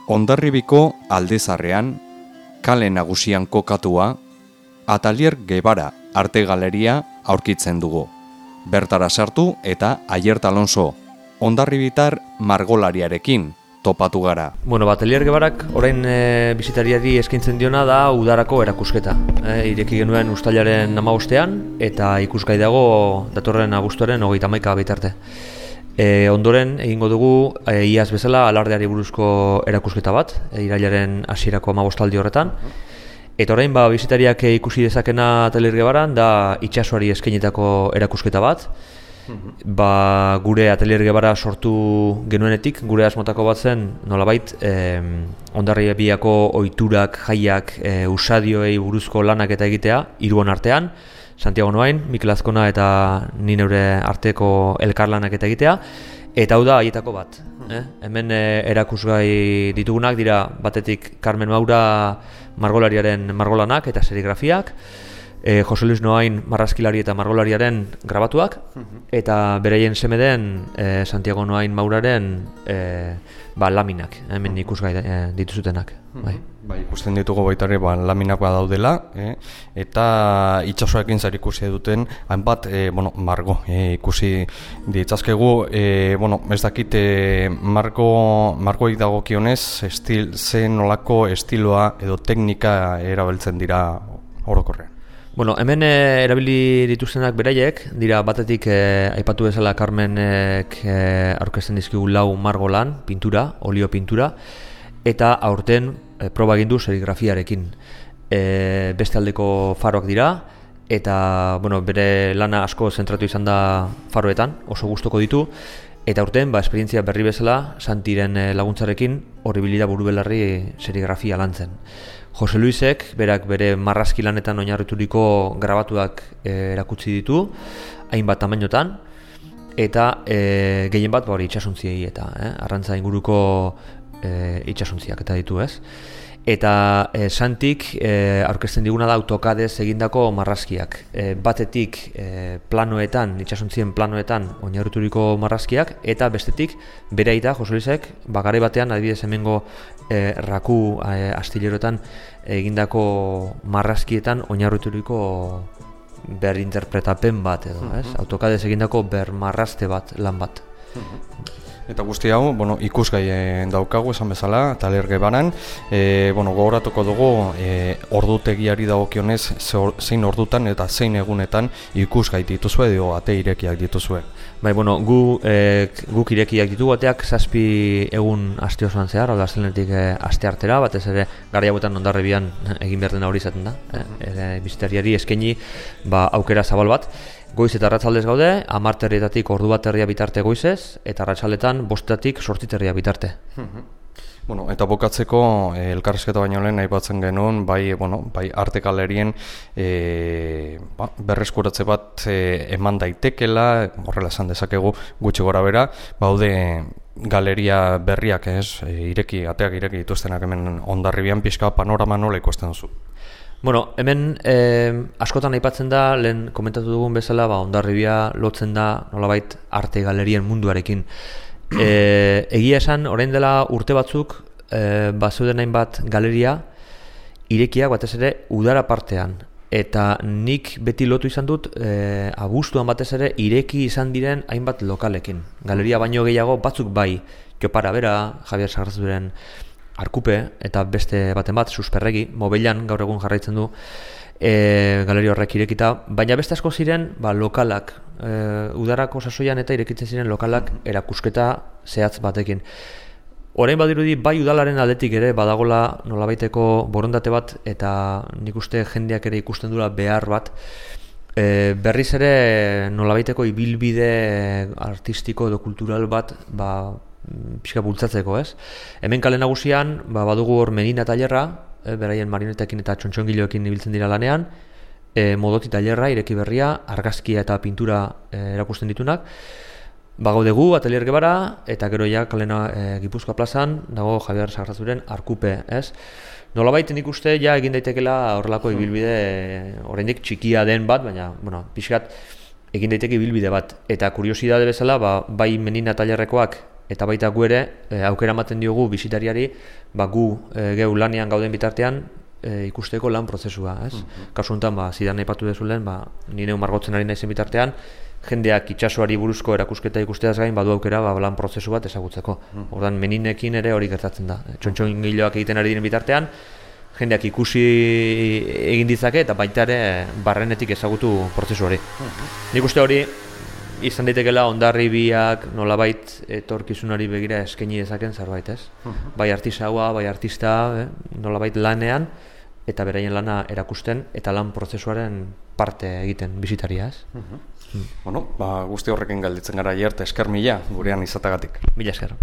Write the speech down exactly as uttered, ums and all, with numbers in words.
Hondarribiko Aldezarrean, kale nagusian kokatua, Atelier Guevara arte galeria aurkitzen dugu. Bertara sartu eta Aiert Alonso, hondarribitar margolariarekin topatu gara. Bueno, Atelier Guevarak orain e, bisitariari eskaintzen diona da udarako erakusketa. E, ireki genuen uztailaren hamabostean eta ikusgai dago datorren abuztuaren hogeita hamaika bitarte. E, ondoren egingo dugu e, iaz bezala alardeari buruzko erakusketa bat, e, irailaren hasierako hamabostaldi horretan. Eta orain ba, bisitariak ikusi dezakena Atelier Guevaran da itsasoari eskainitako erakusketa bat. Ba, gure Atelier Guevara sortu genuenetik, gure asmotako bat zen, nolabait, eh, Hondarribiako ohiturak, jaiak, eh, usadioei buruzko lanak eta egitea, hiruon artean, Santiago Noain, Mikel Azkona eta ni neure arteko elkarlanak eta egitea, eta hau da haietako bat. Eh? Hemen eh, erakusgai ditugunak dira batetik Carmen Maura margolariaren margolanak eta serigrafiak, E, Jose Luis Noain marrazkilari eta margolariaren grabatuak, eta beraien seme den e, Santiago Noain Mauraren e, ba, laminak, hemen ikusgai e, dituzutenak. Bai. Bai, ikusten ditugu baitare ba, laminakoa daudela, eh? Eta itsasoekin zer ikusi duten hainbat eh, bueno, margo eh, ikusi ditzazkegu, eh, bueno, ez dakit eh, margo, margoik dagokionez estil, zen nolako estiloa edo teknika erabiltzen dira orokorrean. Bueno, hemen e, erabili dituztenak beraiek, dira batetik e, aipatu bezala Carmenek e, aurkezten dizkigu lau margolan, pintura, olio pintura, eta aurten e, proba egin du serigrafiarekin. E, beste aldeko faroak dira, eta bueno, bere lana asko zentratu izan da faroetan, oso gustoko ditu, eta aurten ba, esperientzia berri bezala, Santiren e, laguntzarekin, horribilida burubelarri serigrafia lantzen. Jose Luisek, berak bere marrazki lanetan oinarrituriko grabatuak e, erakutsi ditu, hainbat tamainotan, eta e, gehien bat hori itsasontziei eta eh, arrantza inguruko e, itsasontziak eta ditu, ez? Eta e, Santik e, aurkezten diguna da AutoCADez egindako marrazkiak. E, batetik e, planoetan, itsasontzien planoetan oinarrituriko marrazkiak, eta bestetik bere aita, Jose Luisek, bagare batean, adibidez hemengo e, raku e, astileroetan egindako marrazkietan oinarrituriko berinterpretapen bat edo, ez? AutoCADez egindako bermarrazte bat, lan bat. Eta guzti hau, bueno, ikusgai daukagu esan bezala, Atelier Guevaran, e, bueno, gogoratuko dugu e, ordutegiari dagokionez zein ordutan eta zein egunetan ikusgai dituzue edo ate irekiak dituzue. Bai, bueno, gu, e, guk irekiak ditugu ateak zazpi egun aste osoan zehar, hau da astelehenetik e, aste artera, batez ere garai hauetan Hondarribian egin behar dena hori izaten da, e, bisitariari eskaini ba, aukera zabal bat. Goiz eta arratsaldez gaude, hamar terrietatik ordu bat herria bitarte goizez, eta arratsaldetan bostetatik zortzi herria bitarte. Bueno, eta bokatzeko eh, elkarrizketa baino lehen aipatzen genuen, bai, bueno, bai arte galerien eh, ba, berreskuratze bat eh, eman daitekela, horrela esan dezakegu gutxi gora bera, baude galeria berriak, ez, e, ireki, ateak ireki dituztenak hemen Hondarribian pixka panorama nola ikusten duzu? Bueno, hemen eh, askotan aipatzen da, lehen komentatu dugun bezala, ba, Hondarribia lotzen da nolabait arte galerien munduarekin. E, egia esan, orain dela urte batzuk, e, bazeuden hainbat galeria irekiak batez ere udara partean. Eta nik beti lotu izan dut, e, abuztuan batez ere ireki izan diren hainbat lokalekin. Galeria baino gehiago batzuk bai, Jopara bera, Javier Sagarrazuren Arkupe, eta beste baten bat, Susperregi, Mobelan gaur egun jarraitzen du, e, galeria horrek irekita, baina beste asko ziren ba, lokalak, e, udarako sasoian eta irekitzen ziren lokalak erakusketa zehatz batekin. Orain badirudi bai udalaren aldetik ere badagola nolabaiteko borondate bat eta nik uste jendeak ere ikusten dula behar bat, e, berriz ere nolabaiteko ibilbide artistiko edo kultural bat ba, pixka bultzatzeko, ez? Hemen kale nagusian ba, badugu hor Medina tailerra, e, beraien marionetekin eta txontxongiloekin ibiltzen dira lanean, e, Modoti tailerra, ireki berria, argazkia eta pintura e, erakusten ditunak. Bagodegu, Atelier Guevara, eta gero ja kalena e, Gipuzkoa plazan, dago Javier Sagarrazuren Arkupe, ez? Nolabait nik uste ja egin daitekela horrelako ibilbide e, oraindik txikia den bat, baina, bueno, pixkat egin daiteke ibilbide bat. Eta kuriosidade bezala, ba, bai Medina tailerrekoak eta baita gu ere e, aukera ematen diogu bisitariari ba, gu e, geu lanean gauden bitartean e, ikusteko lan prozesua, ez? Mm-hmm. Kasu honetan, ba, zidan aipatu dezulen, ba, nire margotzen ari naizen bitartean, jendeak itsasoari buruzko erakusketa ikusteaz gain badu aukera ba, lan prozesu bat ezagutzeko. Mm-hmm. Ordan meninekin ere hori gertatzen da. Txontxongiloak egiten ari diren bitartean, jendeak ikusi egin ditzake eta baita ere barrenetik ezagutu prozesu hori. Mm-hmm. Nik uste hori izan daitekeela Hondarribiak nolabait etorkizunari begira eskaini dezaken zerbait, ez? Uh-huh. Bai artisaua, bai artista, eh? nolabait lanean eta beraien lana erakusten eta lan prozesuaren parte egiten bisitaria, ez? Uh-huh. Mm. Bueno, ba, guzti horrekin galditzen gara hierte, esker mila gurean izatagatik. Mila esker.